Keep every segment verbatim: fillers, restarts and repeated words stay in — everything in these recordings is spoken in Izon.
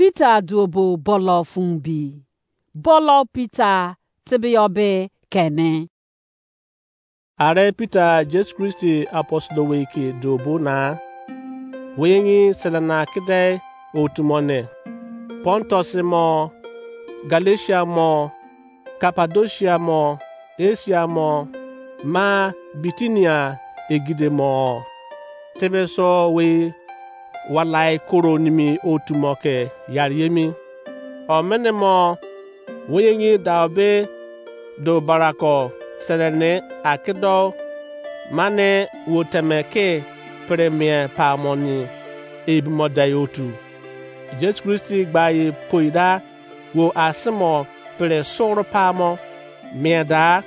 Peter duobo bọlọ fun bi. Bọlọ Peter tebeyọ be kene. Are Peter Jesu Kristi apostle wei ke duobo na. Wei ngi selena kede otu mo ne. Pontus mo, Galatia mo, Kapadosia mo, Asia mo, ma Bitinia egide mo. Tebe so wei walai koro nimi otu mo ke yari emi. Omene mo wei ngi dao be do barako sere ne akedo mane wo teme ke pre mie pamo ni ebi mo dai otu. Jesu Kristi gba ye poida wo asimo pre soro pamo mie da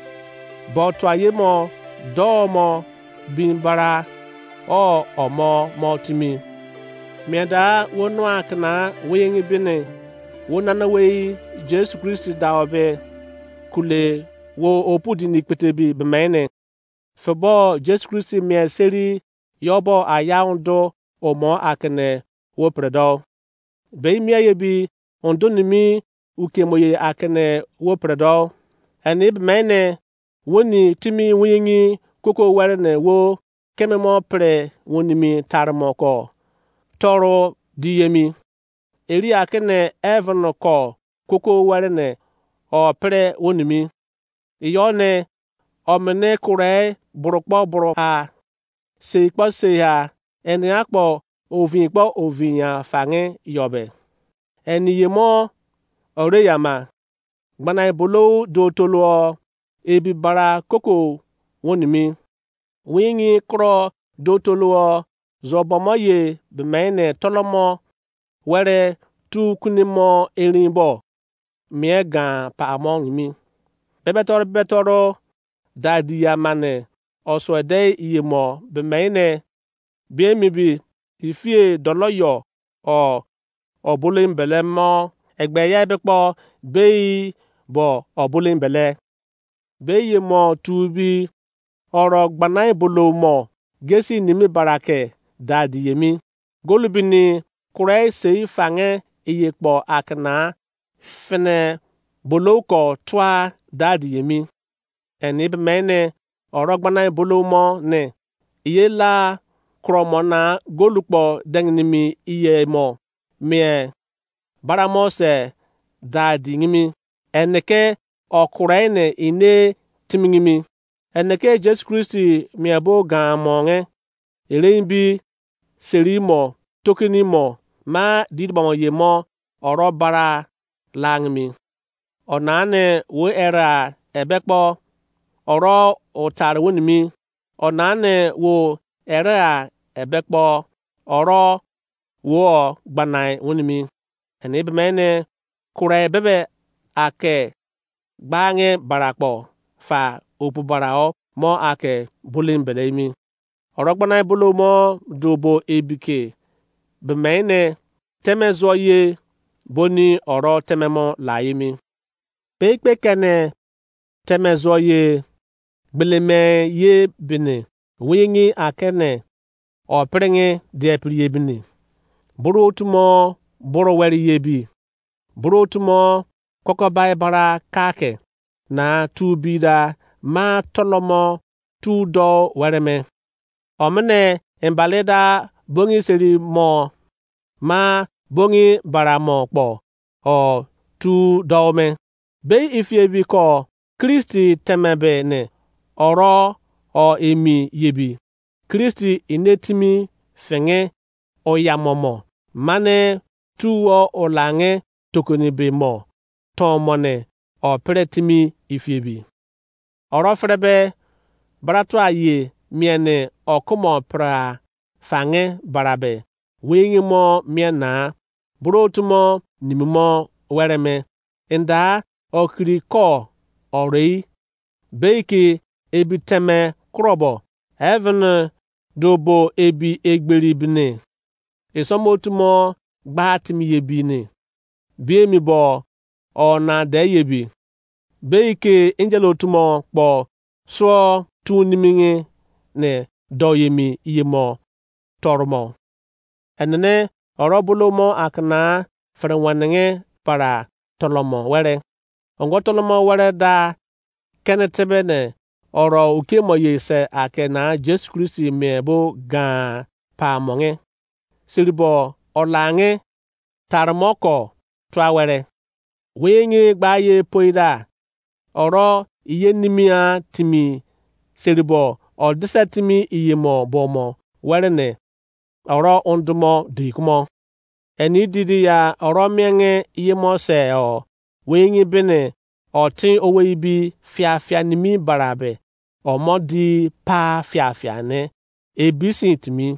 bo tua ye mo do mo bin bara o omo mo timi. Mie da wo nua kena wei ngi bini wo nana wei Jesu Kristi dao be kule wo opu di ni kpete bi bemene. Febo Jesu Kristi mie seri yobo aya undo omo akene wo predo. Be mie ye bi undo nimi ukemo ye akene wo predo. Eni bemene woni timi wei ngi koko were ne wo keme mo pre wonimi tarimo ko toro di yemi. Eri akene heaven ko koko were ne o pre wonimi. Iyo ne omene kure burokpo buro ha sei kpo sei ha eni akpo ovin kpo ovin ya fange yobe. Eni ye mo ore yama gbana ibolo do tolo ebi bara koko wonimi. Wei ngi kro do tolo zobomo ye bemene tolomo were tu kunimo erin bo mie gan pamo nimi. Bebetoro bebetoro dadi ya mane osuede iye mo bemene bie mi bi ifie dolo yo o obolo embele mo egbe ya ebe kpo bei bo obolo embele. Be ye mo tu bi oro gbana ibolo mo gesi nimi barake dadi yemi. Golu bini kure sei fange iye kpo akena fene bolou ko tua dadi yemi. Eni bemene oro gbana ibolo mo ne iye la kro mo na golu kpo denginimi iye mo mie bara mo se dadi ngimi. Eni ke okure ne ine timingimi. Eni ke Jesu Kristi mie bo gan mo nge erein bi seri mo tokini mo ma didi bamo ye mo oro bara langimi. Onane wo era ebe kpo oro otar wonimi. Onane wo era ebe kpo oro wo gbanai wonimi. Eni bemene kure bebe ake gbange barakpo fa opu barao mo ake bulin bele emi. Oro gbanai bolo mo duobo ebike bemene teme zuo ye boni oro teme mo la emi. Peikpe kene teme zuo ye gbeleme ye bini wingi akene opringi die pri ye bini. Buru otu mo buru weri ye bi. Buru otu mo kokobai bara kake na tu bida ma tolomo tu do wereme. Omene embale da bongi seri mo ma bongi bara mo kpo o tu dou me. Bei ifiebi ko Kristi temebe ne oro o emi yebi. Kristi ine timi fenge oyamomo mane tuo olange tokoni be mo ton mone o pre timi ifiebi. Oro ferebe baratua ye mie ne okumo pra fange barabe wingi mo mie na bro otu mo nimi mo were me. Enda okiri ko orei beiki ebi teme kurobo heaven do bo ebi egberi bini. Isomo otu mo gba timi ye bi ni bi emi bo o na de ye bi. Bei ke angel otu mo kpo suo tu nimingi ne do ye mi iye mo torumo. Enene oro bolo mo akana fere weneghe bara tolomo were. Ongo tolomo were da kene tebe ne oro ukiemo ye se ake na Jesu Kristi mien bo gan pa monghe. Siribo olange tarimo ko tua were. Weyenge gba ye poida oro iye nimia timi seribo odise timi iyemo bomo were ne oro undumo di kumo. Eni didi ya oro mienge iyemo se o weyenge bene otin owei bi fiafia nimi barabe omo di pa fiafia ne ebi sin timi.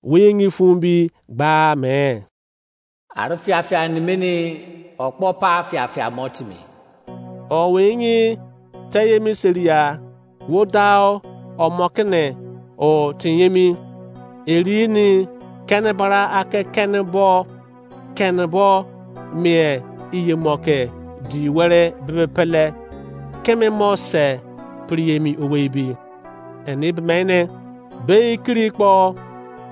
Weyenge fun bi gba me. Ari fiafia nimini okpo pa fiafia mo timi. O weyenge teyemi seria wo dao omo kene o tinyemi. Eri ni kene bara ake kene bo kene bo mie iyemo ke di were bebe pele keme mo se piriyemi owei bi. Eni bemene bei kiri kpo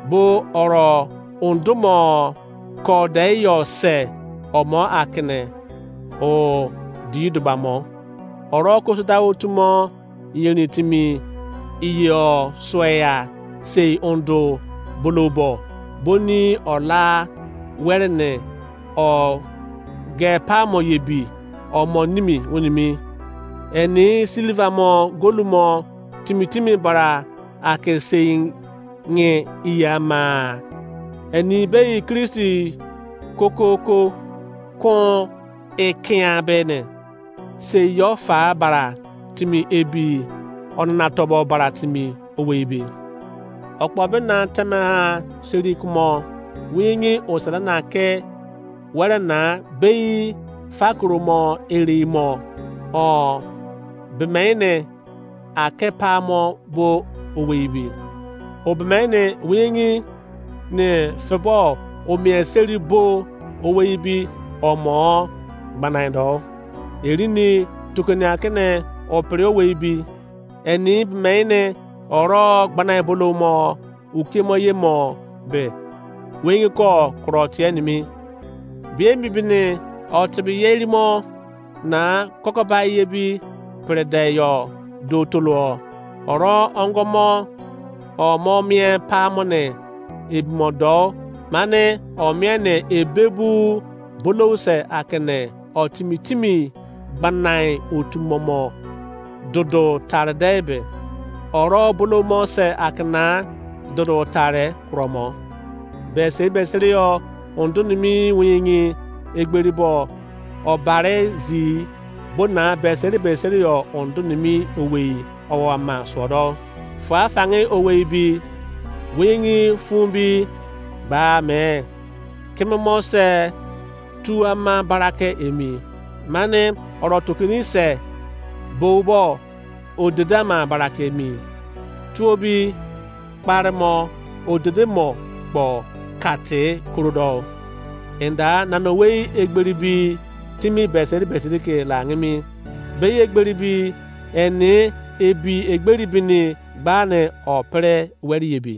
bo oro undumo ko de yo se omo akene o di dubamo. Oro kosuda otumo yerin timi iye o sueya sei undu bolobo boni ola were ne o ge pamo ye bi omo nimi wunimi. Eni silver mo golu mo timi timi bara ake sei nge iya ma. Eni bei Kristi kokoko kon ekia bene sei yo fa bara timi ebi onana tobo bara timi owei bi. Okpo bena teme ha seri kumo wingi osana na ke were na bei fakoro mo eri mo o bemene ake pa mo bo owei bi. O bemene wingi ne febo o mie seri bo owei bi omo gbanai do. Eri ni tukuni akene o pere owei bi. Eni bemene oro gbanai bolo mo ukiemo ye mo be wingi ko kuro tie nimi. Bie mi bini o tibi ye erimo na kokoba ye bi pere de yo do tolo. Oro ongo mo o mo mie pa mo ne ebi mo do mane o mie ne ebebu bolou se akene o timi timi gbanai otu momo dodo tare de be oro bolo mo se akena dodo tare kuro mo. Beseri beseri yo undu nimi wingi egberi bo obare zi bona beseri beseri yo undu nimi owei owo ama suodo. Fua fangi owei bi wingi fun bi ba me. Keme mo se tu ama barake emi. Mane oro tukini se boubo odede ama barake emi. Tuo bi kpare mo odede mo kpo kate kurodo. Enda name wei egberi bi timi beseri beseri ke la ngimi. Bei egberi bi eni ebi egberi bini gbane o pere weri ebi.